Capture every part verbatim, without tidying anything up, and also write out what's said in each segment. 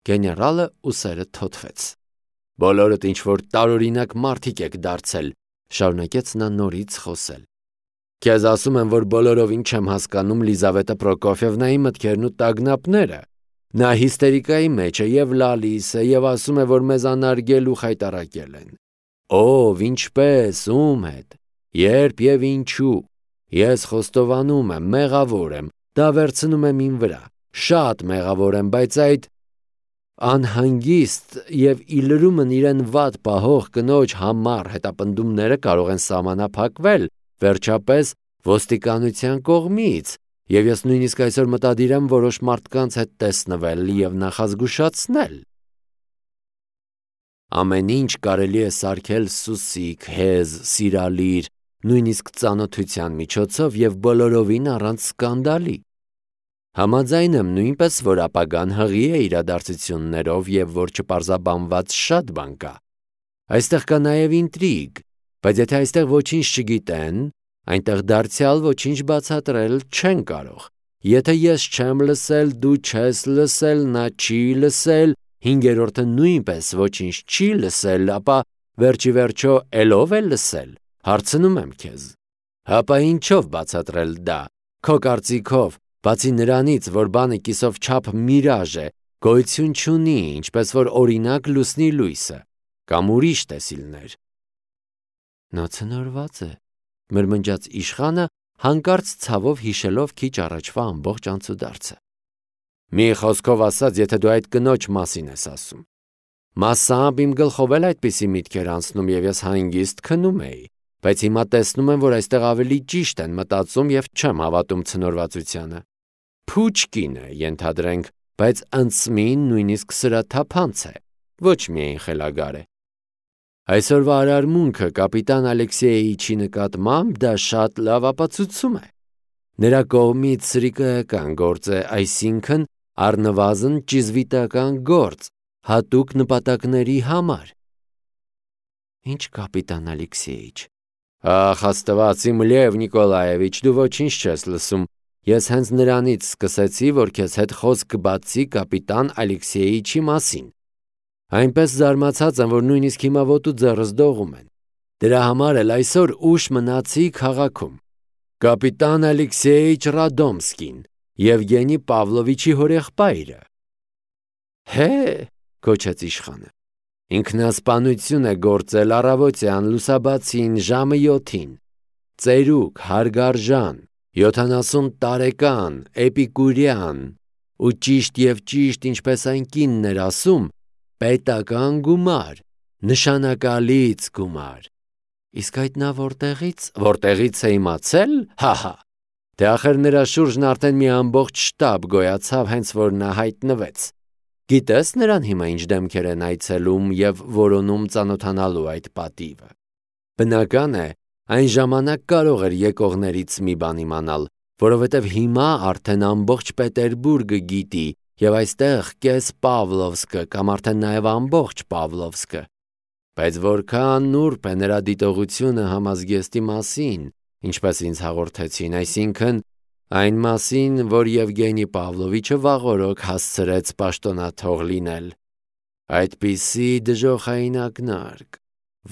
Գեներալը ուսերը թոթվեց։ Բոլորդ ինչ-որ տարօրինակ մարդիկ եք դարձել, շարունակեց նա նորից խոսել։ Քեզ ասում եմ, որ բոլորովին չեմ հասկանում Լիզավետա Պրոկոֆիևնայի մտքերն ու տագնապները։ Նա հիստերիկայի մեջ է եւ լալիս է եւ ասում է, որ մեզ անարգել ու խայտարակել են։ Ով, ինչպես, ում հետ, երբ եւ ինչու։ Ես խոստովանում եմ, մեղավոր եմ, դա վերցնում եմ իմ վրա, շատ մեղավոր եմ, բայց այդ անհանգիստ եւ իլրումն իրեն վատ պահող կնոջ համառ հետապնդումները կարող են սահմանափակվել վերջապես ոստիկանության կողմից, եւ ես նույնիսկ այսօր մտադիր եմ որոշ մարդկանց հետ տեսնվել եւ նախազգուշացնել։ Ամեն ինչ կարելի է սարքել սուսիկ, հեզ, սիրալիր, նույնիսկ ծանոթության միջոցով եւ բոլորովին առանց սկանդալի։ Համաձայն եմ նույնպես, որ ապագան հղի է իրադարձություններով եւ որ չպարզաբանված շատ բան կա։ Այստեղ կա նաեւ ինտրիգ, բայց եթե այստեղ ոչինչ չգիտեն, այնտեղ դարձյալ ոչինչ բացատրել չեն կարող։ Եթե ես չեմ լսել, դու չես լսել, նա չի լսել, հինգերորդը նույնպես ոչինչ չի լսել, ապա վերջի վերջո ելով է լսել։ Հարցնում եմ քեզ։ Հապա ինչով բացատրել դա։ Քո կարծիքով, բացի նրանից, որ բանը կիսով չափ միրաժ է, գոյություն չունի, ինչպես որ օրինակ լուսնի լույսը, կամ ուրիշ տեսիլներ։ Նա ցնորված է, մրմնջաց իշխանը, հանկարծ ցավով հիշելով քիչ առաջվա ամբողջ անցուդարձը։ Մի խոսքով ասած, եթե դու այդ կնոջ մասին ես ասում։ Մասամբ իմ գլխով էլ այդպիսի միտքեր անցնում եւ ես հանգիստ քնում էի, բայց հիմա տեսնում եմ, որ այստեղ ավելի ճիշտ են մտածում եւ չեմ հավատում ցնորվածությանը։ Փուչկին է, ենթադրենք, բայց անցմին նույնիսկ սրաթափանց է, ոչ միայն խելագար է։ Այսօրվա արարմունքը կապիտան Ալեքսեյիչի նկատմամբ դա շատ լավ ապացուցում է։ Նրա կողմից սրիկայական գործ է, այսինքն առնվազն ճիզվիտական գործ, հատուկ նպատակների համար։ Ինչ կապիտան Ալեքսեյիչ։ Ախ, Աստված իմ Լև Նիկոլաևիչ, դու ոչինչ չես լսում։ Ես հենց նրանից սկսեցի, որ քեզ հետ խոսք կբացի կապիտան Ալեքսեյիչի մասին։ Այնպես զարմացած եմ, որ նույնիսկ հիմա ոտու ձեռս դողում են։ Դրա համար էլ այսօր ուշ մնացի քաղաքում։ Կապիտան Ալեքսեյիչ Ռադոմսկին, Եվգենի Պավլովիչի հորեղբայրը։ Հե, կոչեց իշխանը։ Ինքնասպանություն է գործել առավոտյան լուսաբացին ժամը յոթին։ Ծերուկ, հարգարժան, յոթանասուն տարեկան, էպիկուրյան, ու ճիշտ եւ ճիշտ, ինչպես այն կինն էր ասում, պետական գումար, նշանակալից գումար։ Իսկ այդ նա որտեղից, որտեղից է իմացել, հահա։ Դե ախր նրա շուրջն արդեն մի ամբողջ շտաբ գոյացավ, հենց որ նա հայտնվեց։ Գիտես նրան հիմա ինչ դեմքեր են այցելում եւ որոնում ծանոթանալու այդ պատիվը։ Բնական է, այն ժամանակ կարող էր եկողներից մի բան իմանալ, որովհետև հիմա արդեն ամբողջ Պետերբուրգը գիտի եւ այստեղ կես Պավլովսկը կամ արդեն նաեւ ամբողջ Պավլովսկը։ Բայց որքան նուրբ է նրա դիտողությունը համազգեստի մասին, ինչպես ինձ հաղորդեցին, այսինքն այն մասին, որ Եվգենի Պավլովիչը վաղօրոք հասցրեց պաշտոնաթող լինել։ Այդպիսի դժոխային ակնարկ։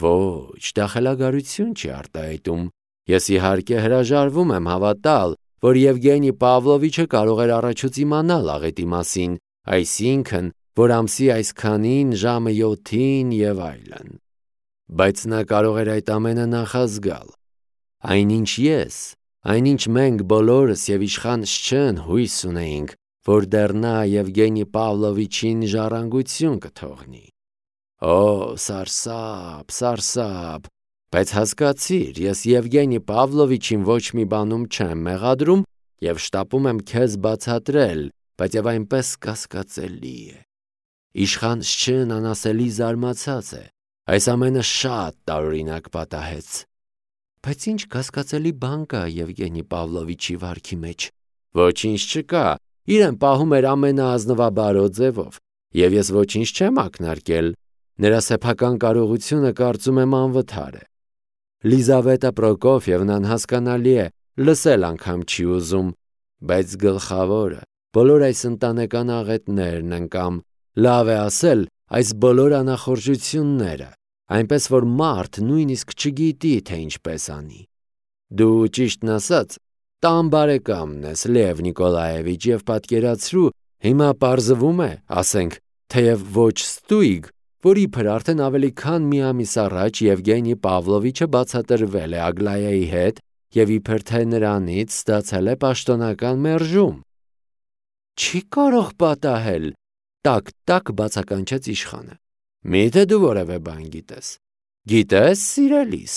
Ոչ, դա խելագարություն չի արտահայտում։ Ես իհարկե հրաժարվում եմ հավատալ, որ Եվգենի Պավլովիչը կարող էր առաջուց իմանալ աղետի մասին, այսինքն, որ ամսի այսքանին ժամը յոթին եւ այլն։ Բայց նա կարող էր այդ ամենը նախազգալ։ Այնինչ ես, այնինչ մենք բոլորս եւ իշխան Շչեն հույս ունեինք, որ դեռ նա Եվգենի Պավլովիչին ժառանգություն կթողնի։ Օ, սարսափ, սարսափ, բայց հասկացիր, ես Եվգենի Պավլովիչին ոչ մի բանում չեմ մեղադրում եւ շտապում եմ քեզ բացատրել, բայց եւ այնպես կասկածելի է։ Իշխան Շչեն անասելի զարմացած է, այս ամենը շատ տարօրինակ պատահեց։ Բայց ինչ կասկածելի բան կա Եվգենի Պավլովիչի վարքի մեջ։ Ոչինչ չկա, իրեն պահում էր ամենաազնվաբարո ձևով, եւ ես ոչինչ չեմ ակնարկել, նրա սեփական կարողությունը կարծում եմ անվթար է։ Լիզավետա Պրոկոֆիևնան հասկանալի է, լսել անգամ չի ուզում, բայց գլխավորը, բոլոր այս ընտանեկան աղետներն են կամ Լավ է ասել այս բոլոր անախորժությունները, այնպես որ մարդ նույնիսկ չգիտի, թե ինչպես անի։ Դու ճիշտն ասած տան բարեկամն ես, Լև Նիկոլաևիչ, եւ պատկերացրու, հիմա պարզվում է, ասենք, թեև ոչ ստույգ, որ իբր արդեն ավելի քան մի ամիս առաջ Եվգենի Պավլովիչը բացատրվել է Ագլայայի հետ եւ իբր թե նրանից ստացել է պաշտոնական մերժում։ Չի կարող պատահել, տակ-տակ բացականչեց իշխանը։ Միթե դու որևէ բան գիտես։ Գիտես, սիրելիս,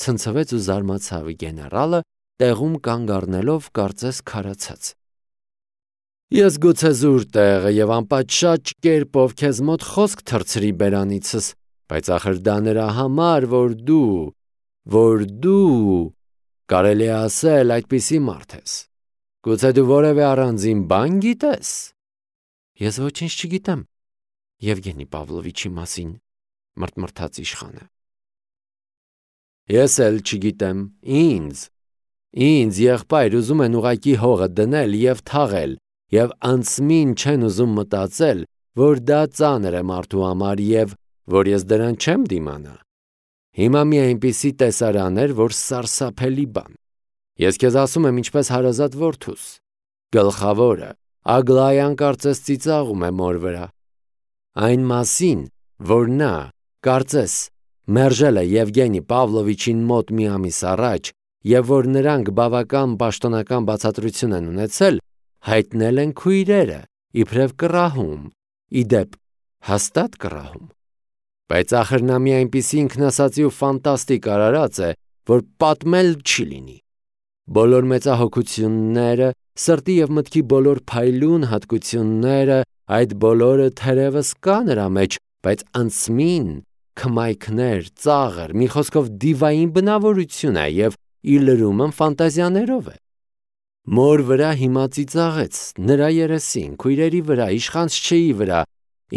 ցնցվեց ու զարմացավ գեներալը, տեղում կանգ առնելով կարծես քարացած։ Ես գուցե զուր տեղը եւ անպատշաճ կերպով քեզ մոտ խոսք թռցրի բերանիցս, բայց ախր դա նրա համար, որ դու, որ դու կարելի է ասել այդպիսի մարդ ես։ Գուցե դու որևէ առանձին բան գիտես։ Ես ոչինչ չգիտեմ Եվգենի Պավլովիչի մասին, մրթմրթաց իշխանը։ Ես էլ չգիտեմ, ինձ, ինձ եղբայր ուզում են ուղակի հողը դնել եւ թաղել, եւ անցմին չեն ուզում մտածել, որ դա ծանր է մարդու համար եւ որ ես դրան չեմ դիմանա։ Հիմա մի այնպիսի տեսարան էր, որ սարսափելի բան։ Ես քեզ ասում եմ ինչպես հարազատ որդուս։ Գլխավորը Ագլայան կարծես ծիծաղում է մոր վրա։ Այն մասին, որ նա կարծես մերժել է Եվգենի Պավլովիչին մոտ մի ամիս առաջ եւ որ նրանք բավական պաշտոնական բացատրություն են ունեցել, հայտնել են քույրերը, իբրև կռահում, իդեպ հաստատ կռահում։ Բայց ախր նա մի այնպիսի ինքնասածի ու ֆանտաստիկ արարած է, որ պատմել չի լինի։ Բոլոր մեծահոգությունները, սրտի եւ մտքի բոլոր փայլուն հատկությունները, այդ բոլորը թերևս կա նրա մեջ, բայց անցմին քմայքներ, ծաղր, մի խոսքով դիվային բնավորություն է եւ իր լրումն ֆանտազիաներով է։ Մոր վրա հիմա ծիծաղեց, նրա երեսին, քույրերի վրա, իշխանչչեի վրա,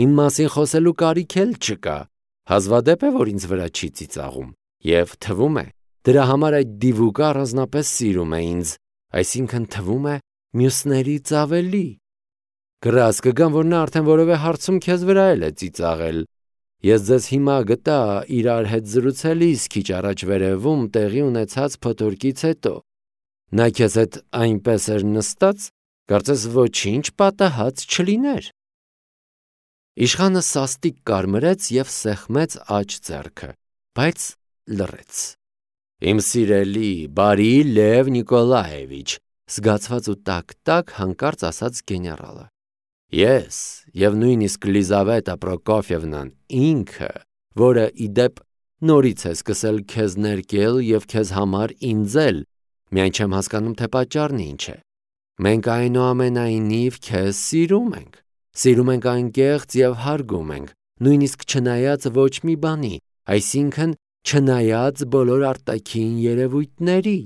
իմ մասին խոսելու կարիք էլ չկա։ Հազվադեպ է, որ ինձ վրա չի ծիծաղում, եւ թվում է, դրա համար այդ դիվուկը առանձնապես սիրում է ինձ, այսինքն թվում է մյուսներից ավելի։ Գրած կգամ, որ նա արդեն որևէ հարցում քեզ վրա էլ է ծիծաղել։ Ես ձեզ հիմա գտա իրար հետ զրուցելիս քիչ առաջ վերևում տեղի ունեցած փոթորկից հետո։ Նա քեզ հետ այնպես էր նստած, կարծես ոչինչ պատահած չլիներ։ Իշխանը սաստիկ կարմրեց եւ սեղմեց աջ ձեռքը, բայց լռեց։ Իմ սիրելի, բարի Լև Նիկոլաևիչ, զգացված ու տակ-տակ հանկարծ ասաց գեներալը։ Ես եւ նույնիսկ Լիզավետա Պրոկոֆիևնան ինքը, որը իդեպ նորից է սկսել քեզ ներկել եւ քեզ համար ինձել, միայն չեմ հասկանում, թե պատճառն ինչ է։ Մենք այնուամենայնիվ քեզ սիրում ենք։ Սիրում ենք անկեղծ եւ հարգում ենք, նույնիսկ չնայած ոչ մի բանի, այսինքն չնայած բոլոր արտաքին երևույթների։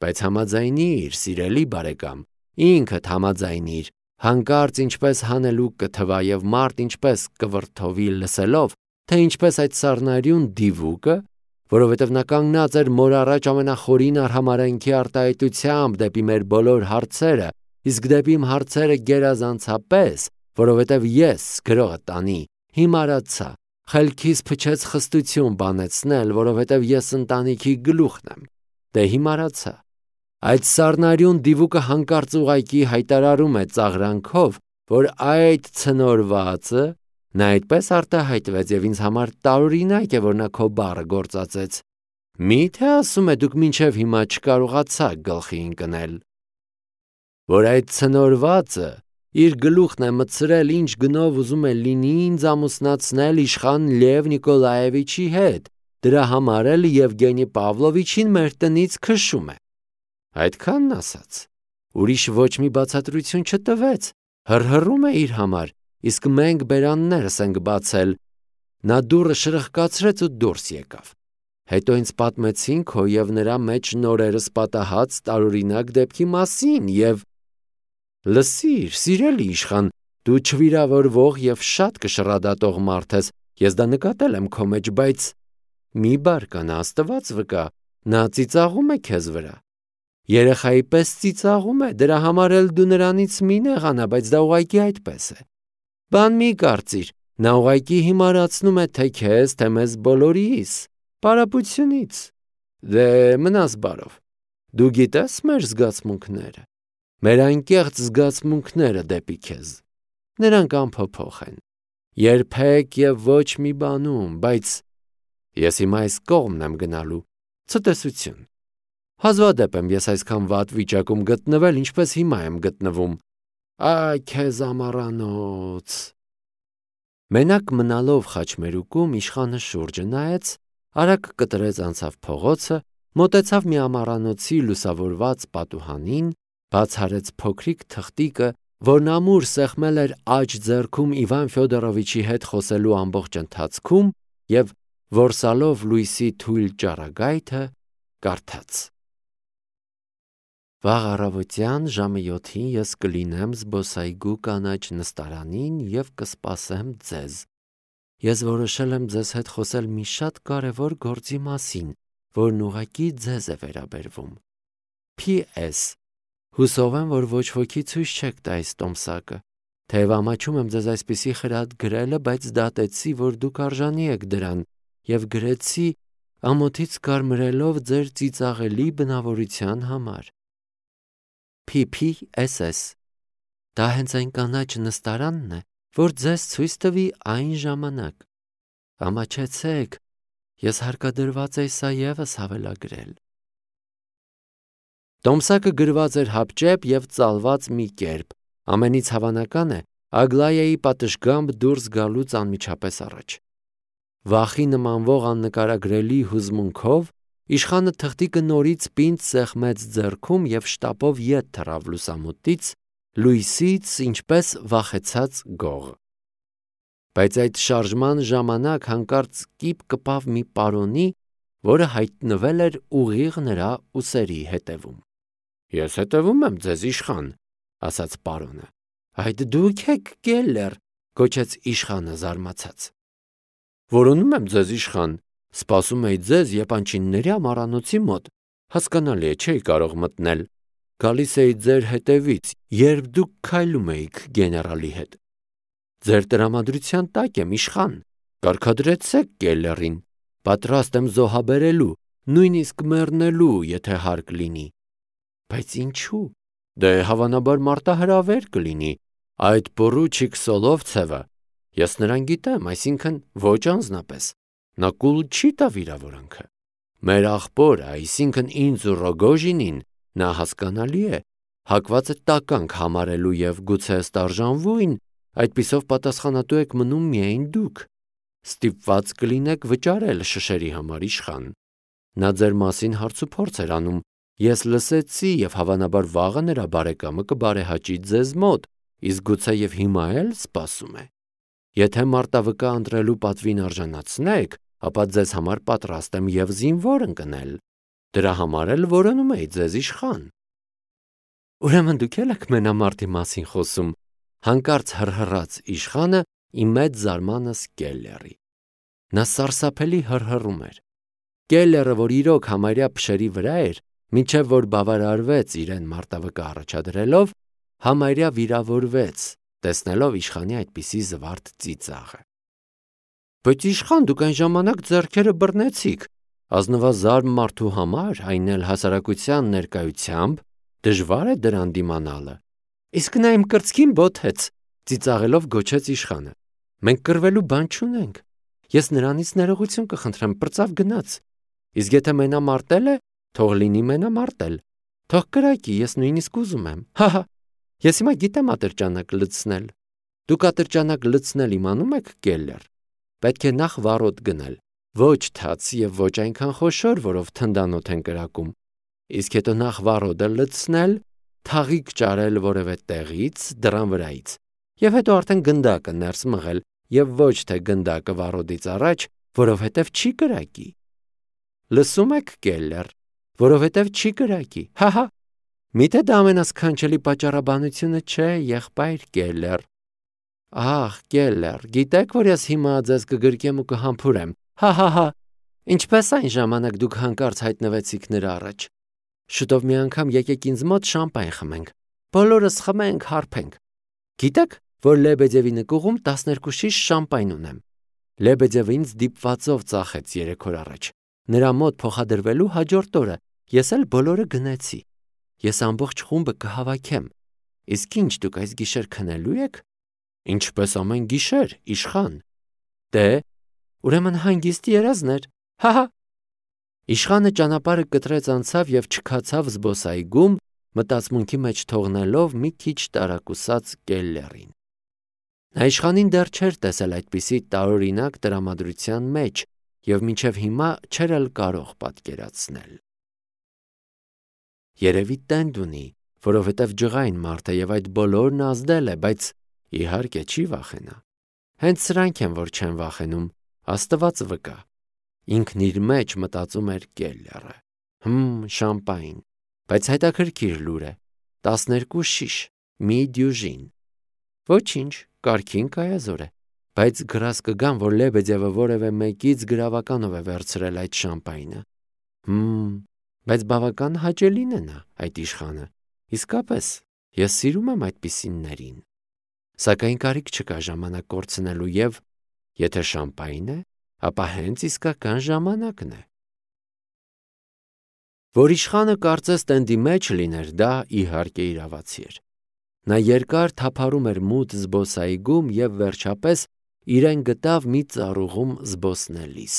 Բայց համաձայնիր, սիրելի բարեկամ, ինքդ համաձայնիր, հանկարծ ինչպես հանելուկ կթվա եւ մարդ ինչպես կվրթովի լսելով, թե ինչպես այդ սառնարյուն դիվուկը, որովհետև նա կանգնած էր մոր առաջ ամենախորին արհամարհանքի արտահայտությամբ դեպի մեր բոլոր հարցերը, իսկ դեպի իմ հարցերը գերազանցապես, որովհետև ես գրողը տանի, հիմարացա, խելքիս փչեց խստություն բանեցնել, որովհետև ես ընտանիքի գլուխն եմ, դե հիմարացա։ Այդ սառնարյուն դիվուկը հանկարծ ուղայքի հայտարարում է ծաղրանքով, որ այդ ցնորվածը նա այդպես արտահայտվեց եւ ինձ համար տարօրինակ է, որ նա քո բառը գործածեց։ Մի՞թե ասում է դուք մինչև հիմա չկարողացաք գլխի ընկնել, որ այդ ցնորվածը իր գլուխն է մտցրել, ինչ գնով ուզում է լինի ինձ ամուսնացնել իշխան Լև Նիկոլաևիչի հետ, դրա համար էլ Եվգենի Պավլովիչին մեր տնից քշում է։ Այդքանն ասաց, ուրիշ ոչ մի բացատրություն չտվեց, հռհռում է իր համար, իսկ մենք բերաններս ենք բացել։ Նա դուռը շրխկացրեց ու դուրս եկավ։ Հետո ինձ պատմեցին քո եւ նրա մեջ նորերս պատահած տարօրինակ դեպքի մասին եւ լսիր, սիրելի իշխան, դու չվիրավորվող եւ շատ կշռադատող մարդ ես, ես դա նկատել եմ քո մեջ, բայց մի բարկանա, Աստված վկա, նա ծիծաղում է քեզ վրա։ Երեխայի պես ծիծաղում է, դրա համար էլ դու նրանից մի նեղանա, բայց դա ուղղակի այդպես է։ Բան մի կարծիր, նա ուղղակի հիմարացնում է թե քեզ, թե մեզ բոլորիս, պարապությունից։ Դե մնաս բարով։ Դու գիտես մեր զգացմունքները, մեր անկեղծ զգացմունքները դեպի քեզ։ Նրանք անփոփոխ են, երբեք եւ ոչ մի բանում, բայց ես հիմա այս կողմն եմ գնալու, ցտեսություն։ Հազվադեպ եմ ես այսքան վատ վիճակում գտնվել, ինչպես հիմա եմ գտնվում։ Այ քեզ ամառանոց։ Մենակ մնալով խաչմերուկում իշխանը շուրջը նայեց, արագ կտրեց անցավ փողոցը, մոտեցավ մի ամառանոցի լուսավորված պատուհանին, բաց արեց փոքրիկ թղթիկը, որն ամուր սեղմել էր աջ ձեռքում Իվան Ֆյոդորովիչի հետ խոսելու ամբողջ ընթացքում եւ որսալով լույսի թույլ ճառագայթը կարդաց. Վաղ առավոտյան ժամը յոթին ես կլինեմ զբոսայգու կանաչ նստարանին եւ կսպասեմ ձեզ։ Ես որոշել եմ ձեզ հետ խոսել մի շատ կարևոր գործի մասին, որն ուղղակի ձեզ է վերաբերվում։ Փ S Հուսով եմ, որ ոչ ոքի ցույց չեք տա այս տոմսակը։ Թեև ամաչում եմ ձեզ այսպիսի խրատ գրելը, բայց դատեցի, որ դուք արժանի եք դրան, եւ գրեցի ամոթից կարմրելով ձեր ծիծաղելի բնավորության համար։ P P S S Դա հենց այն կանաչ նստարանն է, որ ձեզ ցույց տվի այն ժամանակ։ Ամաչեցեք, ես հարկադրված էի սա եւս հավելագրել։ Տոմսակը գրված էր հապճեպ եւ ծալված մի կերպ, ամենից հավանական է Ագլայայի պատշգամբ դուրս գալուց անմիջապես առաջ։ Վախի նմանվող աննկարագրելի հուզմունքով իշխանը թղթիկը նորից պինդ սեղմեց ձեռքում եւ շտապով ետ թռավ լուսամուտից, լույսից, ինչպես վախեցած գող։ Բայց այդ շարժման ժամանակ հանկարծ կիպ կպավ մի պարոնի, որը հայտնվել էր ուղիղ նրա ուսերի հետևում։ Ես հետևում եմ ձեզ, իշխան, ասաց պարոնը։ Այդ դուք եք Կելլեր, գոչեց իշխանը զարմացած։ Որոնում եմ ձեզ, իշխան, սպասում էի ձեզ Եփանչինների ամառանոցի մոտ, հասկանալի է, չէի կարող մտնել։ Գալիս էի ձեր հետևից, երբ դուք քայլում էիք գեներալի հետ։ Ձեր տրամադրության տակ եմ, իշխան, կարգադրեցեք Կելլերին, պատրաստ եմ զոհաբերելու, նույնիսկ մեռնելու, եթե հարկ լինի։ Բայց ինչու։ Դե հավանաբար մարտահրավեր կլինի, այդ պորուչիկ Սոլովցևը, ես նրան գիտեմ, այսինքն ոչ անձնապես, նա կուլ չի տա վիրավորանքը։ Մեր աղբորը, այսինքն ինձ ու Ռոգոժինին, նա հասկանալի է, հակված է տականք համարելու եւ գուցե ստարժանվույն, այդպիսով պատասխանատու եք մնում միայն դուք։ Ստիպված կլինեք վճարել շշերի համար, իշխան։ Նա ձեր մասին հարցուփորձ էր անում, ես լսեցի եւ հավանաբար վաղը նրա բարեկամը կբարեհաճի ձեզ մոտ, իսկ գուցե եւ հիմա էլ սպասում է։ Եթե մարտավկա ընտրելու պատվին արժանացնեք, ապա ձեզ համար պատրաստ եմ եւ զինվոր ընկնել։ Դրա համար էլ որոնում էի ձեզ, իշխան։ Ուրեմն դուք եք մենամարտի մասին խոսում, հանկարծ հրհրաց իշխանը իմ մեծ զարմանս Կելլերի։ Նա սարսափելի հրհրում էր։ Կելլերը, որ իրոք համարյա փշերի վրա էր, մինչև որ բավարարվեց իրեն մարտավկա առաջադրելով, համարյա վիրավորվեց, տեսնելով իշխանի այդպիսի զվարթ ծիծաղը։ Բայց իշխան, դուք այն ժամանակ ձեռքերը բռնեցիք, ազնվազարմ մարդու համար, այն էլ հասարակության ներկայությամբ, դժվար է դրան դիմանալը։ Իսկ նա իմ կրծքին բոթեց, ծիծաղելով գոչեց իշխանը։ Մենք կռվելու բան չունենք։ Ես նրանից ներողություն կխնդրեմ, պրծավ գնաց։ Իսկ եթե մենամարտել է, թող լինի մենամարտել։ Թող կրակի, ես նույնիսկ ուզում եմ։ Հահա, ես հիմա գիտեմ ատրճանակ լցնել։ Դուք ատրճանակ լցնել իմանում եք, Կելլեր։ Պետք է նախ վառոդ գնել, ոչ թաց եւ ոչ այնքան խոշոր, որով թնդանոթ են կրակում։ Իսկ հետո նախ վառոդը լցնել, թաղիկ ճարել որևէ տեղից, դռան վրայից, եւ հետո արդեն գնդակը ներս մղել եւ ոչ թե գնդակը վառոդից առաջ, որովհետեւ չի կրակի։ Լսում եք, Կելլեր, որովհետեւ չի կրակի։ Հահա։ Միթե դա ամենասքանչելի պատճառաբանությունը չէ, եղբայր Կելլեր։ Ահ, Կելլեր, գիտեք, որ ես հիմա ձեզ կգրկեմ ու կհամբուրեմ։ Հահահա։ Ինչպես այն ժամանակ դուք հանկարծ հայտնվեցիք նրա առաջ։ Շուտով մի անգամ եկեք ինձ մոտ շամպայն խմենք։ Բոլորս խմենք, հարբենք։ Գիտեք, որ Լեբեդևի նկուղում տասներկու շիշ շամպայն ունեմ։ Լեբեդևը ինձ դիպվածով ծախեց երեք օր առաջ։ Նրա մոտ փոխադրվելու հաջորդ օրը ես էլ բոլորը գնեցի։ Ես ամբողջ խումբը կհավաքեմ։ Իսկ ինչ դուք այս գիշեր քնելու եք։ Ինչպես ամեն գիշեր, իշխան։ Դե, ուրեմն հանգիստ երազներ։ Հահա։ Իշխանը ճանապարհը կտրեց անցավ եւ չքացավ զբոսայգում, մտածմունքի մեջ թողնելով մի քիչ տարակուսած Կելլերին։ Նա իշխանին դեռ չէր տեսել այդպիսի տարօրինակ տրամադրության մեջ եւ մինչեւ հիմա չէր էլ կարող պատկերացնել։ Երևի տենդ ունի, որովհետեւ ջղային մարդ է եւ այդ բոլորն ազդել է, բայց իհարկե չի վախենա։ Հենց սրանք են, որ չեն վախենում, Աստված վկա։ Ինքն իր մեջ մտածում էր Կելլերը։ Հմ, շամպայն, բայց հետաքրքիր լուր է։ տասներկու շիշ, մի դյուժին։ Ոչինչ, կարգին կայազոր է, բայց գրազ կգան, որ Լեբեդևը որևէ մեկից գրավականով է վերցրել այդ շամպայնը։ Հմ, բայց բավական հաճելին է նա, այդ իշխանը։ Իսկապես, ես սիրում եմ այդպիսիններին։ Սակայն կարիք չկա ժամանակ կորցնելու եւ եթե շամպայն է, ապա հենց իսկական ժամանակն է։ Որ իշխանը կարծես տենդի մեջ լիներ, դա իհարկե իրավացի էր։ Նա երկար թափառում էր մութ զբոսայգում եւ վերջապես իրեն գտավ մի ծառուղում զբոսնելիս։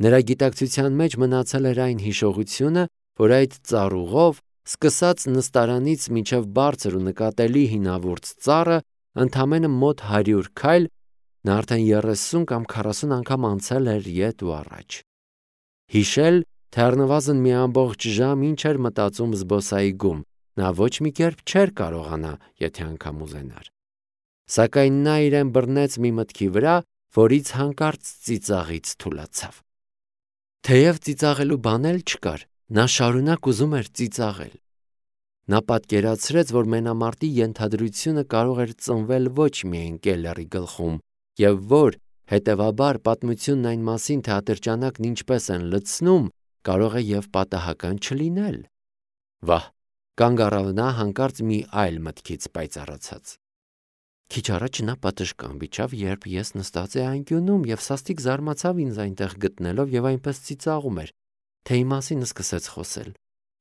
Նրա գիտակցության մեջ մնացել էր այն հիշողությունը, որ այդ ծառուղով, սկսած նստարանից մինչև բարձր ու նկատելի հինավուրց ծառը, ընդամենը մոտ հարյուր քայլ, նա արդեն երեսուն կամ քառասուն անգամ անցել էր ետ ու առաջ։ Հիշել, թե առնվազն մի ամբողջ ժամ ինչ էր մտածում զբոսայգում, նա ոչ մի կերպ չէր կարողանա, եթե անգամ ուզենար։ Սակայն նա իրեն բռնեց մի մտքի վրա, որից հանկարծ ծիծաղից թուլացավ։ Թեև ծիծաղելու բան էլ չկար, նա շարունակ ուզում էր ծիծաղել։ Նա պատկերացրեց, որ մենամարտի ենթադրությունը կարող էր ծնվել ոչ միայն Կելլերի գլխում, եւ որ, հետեւաբար, պատմությունն այն մասին, թե ատրճանակն ինչպես են լցնում, կարող է եւ պատահական չլինել։ Վահ, կանգ առավ նա հանկարծ մի այլ մտքից պայծառացած։ Քիչ առաջ նա պատշգամբ իջավ, երբ ես նստած էի անկյունում եւ սաստիկ զարմացավ ինձ այնտեղ գտնելով եւ այնպես ծիծաղում էր, թե իմ մասին սկսեց խոսել,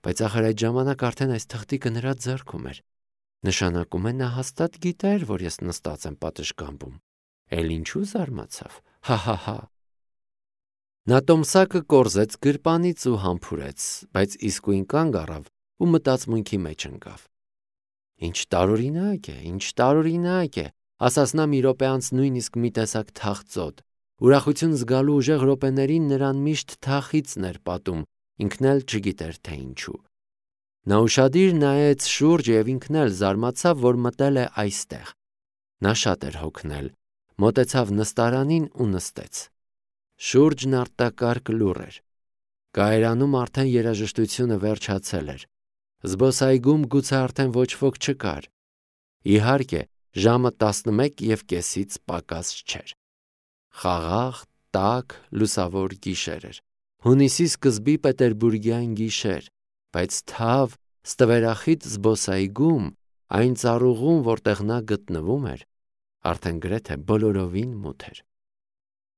բայց ախր այդ ժամանակ արդեն այս թղթիկը նրա ձեռքում էր։ Նշանակում է նա հաստատ գիտեր, որ ես նստած եմ պատշգամբում։ Էլ ինչու զարմացավ։ Հա-հա-հա։ Նա տոմսակը կորզեց գրպանից ու համբուրեց, բայց իսկույն կանգ առավ ու մտածմունքի մեջ ընկավ։ Ինչ տարօրինակ է, ինչ տարօրինակ է, ասաց նա մի րոպե անց նույնիսկ մի տեսակ թախծոտ։ Ուրախություն զգալու ուժեղ րոպեներին նրան միշտ թախիծն էր պատում, ինքն էլ չգիտեր թե ինչու։ Նա ուշադիր նայեց շուրջ եւ ինքն էլ զարմացավ, որ մտել է այստեղ։ Նա շատ էր հոգնել, մոտեցավ նստարանին ու նստեց։ Շուրջն արտակարգ լուռ էր։ Կայարանում արդեն երաժշտությունը վերջացել էր։ Զբոսայգում գուցե արդեն ոչ ոք չկար։ Իհարկե, ժամը տասնմեկ եւ կեսից պակաս չէր։ Խաղաղ, տաք, լուսավոր գիշեր էր։ Հունիսի սկզբի պետերբուրգյան գիշեր, բայց թավ, ստվերախիտ զբոսայգում, այն ծառուղում, որտեղ նա գտնվում էր, արդեն գրեթե բոլորովին մութ էր։